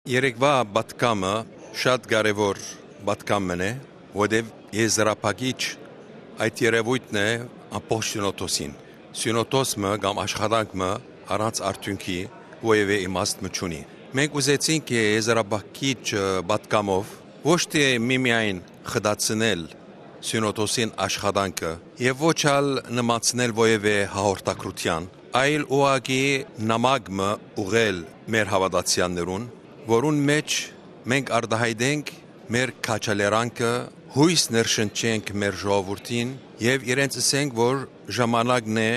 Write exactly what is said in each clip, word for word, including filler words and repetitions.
Երեկվա պատգամը շատ կարեւոր պատգամ մըն է, որտեւ եզրափակիչ այդ երեւոյթն է ամբողջ Սիւնոթոսին։ Սիւնոթոս մը կամ աշխատանք մը առանց արդիւնքի որեւէ իմաստ մը չունի։ Մենք ուզեցինք եզրափակիչ, ը, պատգամով ոչ թէ միմիայն խտացնել Սիւնոթոսին աշխատանքը եւ ոչ ալ նմանցնել որեւէ հաղորդակցութեան, այլ ուղղակի նամակ մը ուղղել մեր հաւատացեալներուն, որուն մէջ մենք արտայայտենք մեր քաջալերանքը, յոյս ներշնչենք մեր ժողովուրդին եւ իրենց ըսենք, որ ժամանակն է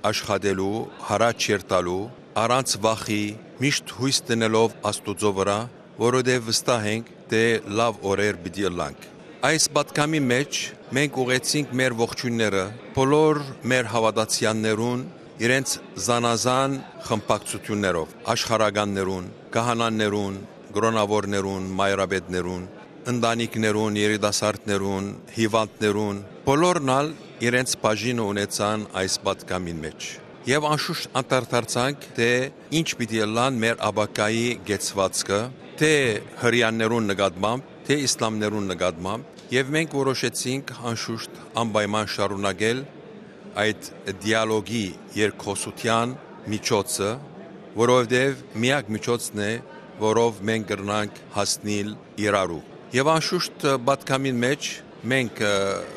աշխատելու, յառաջ երթալու, առանց վախի, միշտ յոյս դնելով Աստուծոյ վրայ, որովհետեւ վստահ ենք, թէ լաւ օրեր պիտի ըլլանք։ Այս պատգամի մէջ մենք ուղղեցինք մեր ողջոյնները բոլոր մեր հաւատացեալներուն, իրենց զանազան խմբակցութիւններով, աշխարհականներուն, քահանաներուն, կրօնաւորներուն, մայրապետներուն, ընտանիքներուն, երիտասարդներուն, հիւանդներուն, բոլորն ալ իրենց բաժինը ունեցան այս պատգամին մէջ։ Եւ անշուշտ անդրադարձանք, թէ ինչ պիտի ըլլան մեր ապագայի կեցուածքը, թէ հրեաներուն նկատմամբ, թէ իսլամներուն նկատմամբ, եւ մենք որոշեցինք անշուշտ անպայման շարունակել այդ դիալոգի երկխօսութեան միջոցը, որովհետեւ միակ միջոցն է, որով մենք կրնանք հասնիլ իրարու։ Եւ անշուշտ պատգամին մէջ մենք, ը,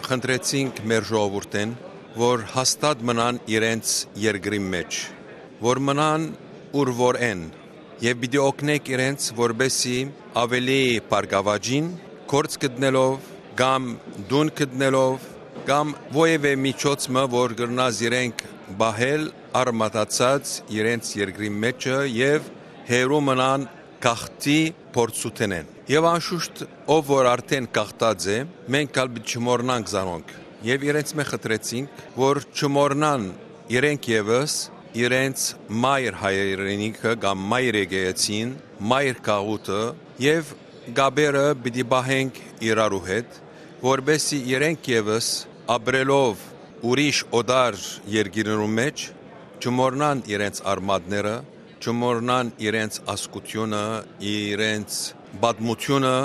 խնդրեցինք մեր ժողովուրդէն, որ հաստատ մնան իրենց երկրին մէջ, որ մնան ուր որ են, եւ պիտի օգնենք իրենց, որպեսզի ավելի բարգաւաճին գործ գտնելով կամ տուն գտնելով կամ որեւէ միջոց մը, որ կրնայ զիրենք պահել արմատացած իրենց երկրի մէջը եւ հեռու մնան գաղթի փորձութենէն։ Եւ անշուշտ, ով որ արդէն գաղթած է, մենք ալ պիտի չմոռնանք զանոնք։ Եւ իրենց մէ խնդրեցինք, որ չմոռնան իրենք եւս իրենց մայր հայրենիքը կամ մայր եկեղեցին, մայր գաղութը եւ կապերը պիտի պահենք իրարու հետ, որպեսզի իրենք եւս ապրելով ուրիշ օտար երկիրներու մէջ չմոռնան իրենց արմատները, չմոռնան իրենց ազգությունը, իրենց պատմությունը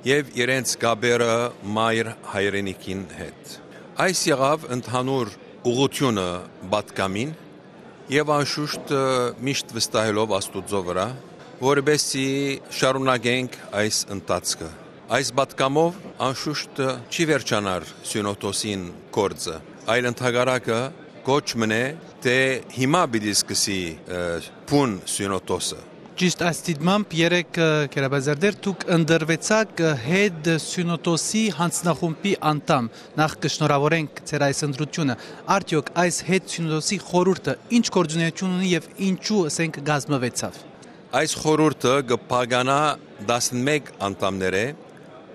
եւ իրենց կապերը մայր հայրենիքին հետ։ Այս եղաւ ընդհանուր ուղղությունը պատգամին եւ անշուշտ, ը, միշտ վստահելով Աստուծոյ վրայ, որպեսզի շարունակենք այս ընթացքը։ Այս պատգամով անշուշտ, ը, չի վերջանար Սիւնոթոսին գործը, այլ ընդհակառակը կոչ մնե, թէ հիմա պիտի սկսի, ը, բուն Սիւնոթոսը։ Ճիշտ այս դիտմամբ երեկ, ը, Գերաբազարդեր, դուք ընտրուեցաք, ը, հետ Սիւնոթոսի յանձնախումբի անդամ։ Նախ կը շնորհաւորենք ձեր այս ընտրութիւնը։ Արդեօք այս հետ Սիւնոթոսի խորհուրդը ինչ գործունեութիւն ունի եւ ինչու, ըսենք, կազմուեցաւ։ Այս խորհուրդը կը բաղկանայ տասնմէկ անդամներէ,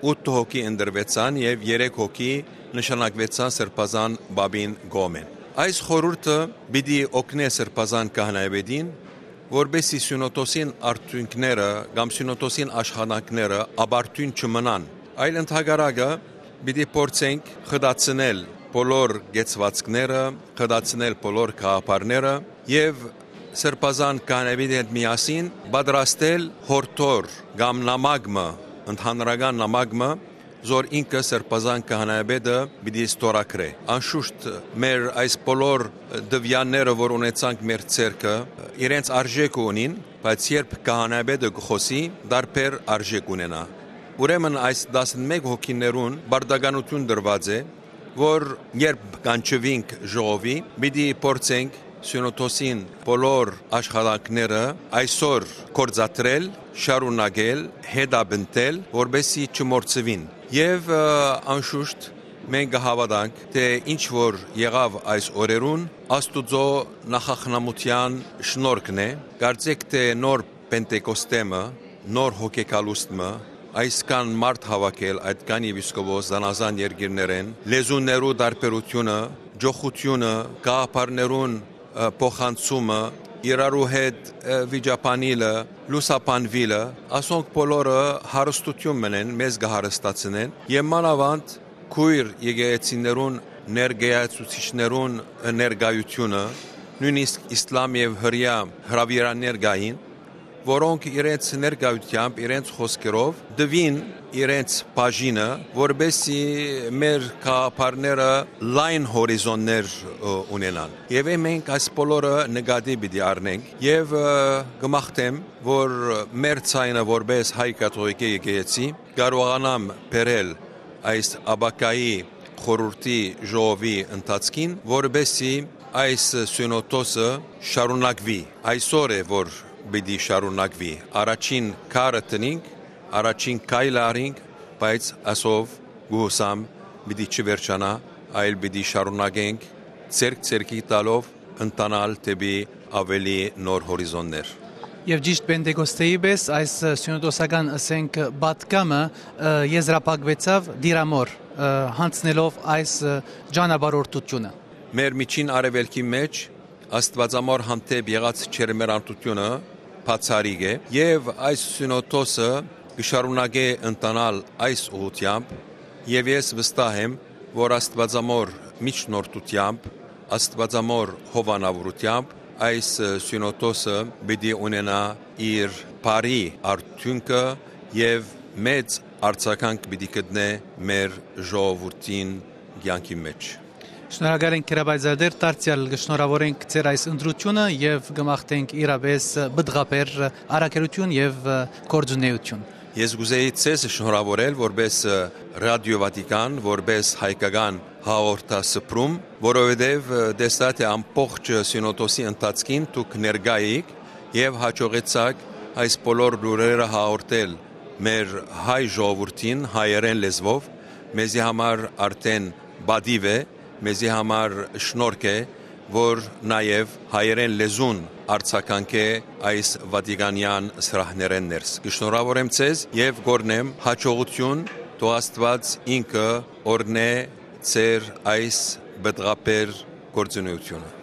ութ հոգի ընտրուեցան եւ երեք հոգի նշանակուեցան Սրբազան Պապին կողմէն։ Այս խորհուրդը պիտի օգնէ Սրբազան Քահանայապետին, որպեսզի Սիւնոթոսին արդիւնքները կամ Սիւնոթոսին աշխատանքները ապարդիւն չմնան, այլ ընդհակառակը պիտի փորձենք խտացնել բոլոր կեցուածքները, խտացնել բոլոր գաղափարները եւ Սրբազան Քահանայապետի հետ միասին պատրաստել յորդոր կամ նամակ մը, ընդհանրական նամակ մը, զոր ինքը Սրբազան Քահանայապետը պիտի ստորագրէ։ Անշուշտ, մեր այս բոլոր տվեալները, որ ունեցանք մեր ձեռքը, իրենց արժեքը ունին, բայց երբ քահանայապետը կը խօսի, դարբեր արժեք ունենայ։ Ուրեմն այս տասնմէկ հոգիներուն պարտականութիւն տրուած է, որ երբ կանչուինք ժողովի, պիտի փորձենք Սիւնոթոսին բոլոր աշխատանքները այսօր գործադրել, շարունակել, հետապնդել, որպեսզի չմոռցուին։ Եւ, ը, անշուշտ, մենք կը հաւատանք, թէ ինչ որ եղաւ այս օրերուն, Աստուծոյ նախախնամութեան շնորհքն է։ Կարծէք թէ նոր Պենտեկոստեմը, նոր հոգեկալուստ մը, այսքան մարդ հաւաքել, այդքան եպիսկոպոս զանազան երկիրներէն, լեզուներու տարբերութիւնը, ճոխութիւնը, գաղափարներուն, ը, փոխանցումը, իրարու հետ, ը, վիճաբանիլը, լուսաբանուիլը, ասոնք բոլորը հարստութիւն մնեն, մեզ կը հարստացնեն եւ մանաւանդ քոյր եկեղեցիներուն ներկայացուցիչներուն ներկայությունը, նոյնիսկ իսլամ եւ հրեայ հրաւիրաներ կային, որոնք իրենց ներկայութեամբ, իրենց խօսքերով տուին իրենց բաժինը, որպեսզի մեր գաղափարները լայն հորիզոններ, ը, ունենան։ Եւ մենք այս բոլորը նկատի պիտի առնենք եւ, ը, կը մաղթեմ, որ մեր ձայնը որպես հայ կաթողիկէ եկեղեցի կարողանամ բերել այս ապագայի խորհրդի ժողովի ընթացքին, որպեսզի այս սիւնոդոսը շարունակուի։ Այսօր է, որ պիտի շարունակուի։ Առաջին քարը դնինք, առաջին քայլը առինք, բայց ասով գուսամ պիտի չվերջանայ, այլ պիտի շարունակենք ձեռք ձեռքի տալով ընթանալ դէպի ավելի նոր հորիզոններ։ Եւ ճիշտ Պենտեկոստեի պէս այս սիւնոդոսական, ըսենք, պատգամը, ը, եզրափակուեցաւ Տիրամօր, ը, յանձնելով այս, ը, ճանապարհորդութիւնը։ Մեր միջին արեւելքի մէջ Աստուածամօր հանդէպ եղած ջերմեռանդութիւնը բացառիկ է եւ այս սիւնոդոսը կը շարունակէ ընթանալ այս ուղղութեամբ եւ ես վստահ եմ, որ Աստուածամօր միջնորդութեամբ, Աստուածամօր հովանաւորութեամբ այս, ը, սիւնոդոսը պիտի ունենայ իր բարի արդիւնքը եւ մեծ արձագանք պիտի գտնէ մեր ժողովուրդին կեանքի մէջ։ Շնորհակալ ենք, Կիրապայծատեր, դարձեալ կը շնորհաւորենք ձեր այս ընտրութիւնը եւ կը մաղթենք իրապէս պտղաբեր առաքելութիւն եւ գործունէութիւն։ Ես կ'ուզեի ձեզ շնորհաւորել որպես, ը, Ռադիո Վատիկան, որպես հայկական հաղորդասփռում, որովհետեւ, ը, տեսայ թէ ամբողջ սիւնոդոսի ընթացքին դուք ներկայ էիք եւ յաջողեցաք այս բոլոր լուրերը հաղորդել մեր հայ ժողովուրդին հայերէն լեզուով, մեզի համար արդեն պատիւ է, մեզի համար շնորհք է, որ նաեւ հայերէն լեզուն արձագանքէ այս վատիկանեան սրահներէն ներս։ Կը շնորհաւորեմ ձեզ եւ կ'օրհնեմ յաջողութիւն, թող Աստուած ինքը օրհնէ ձեր այս պտղաբեր գործունէութիւնը։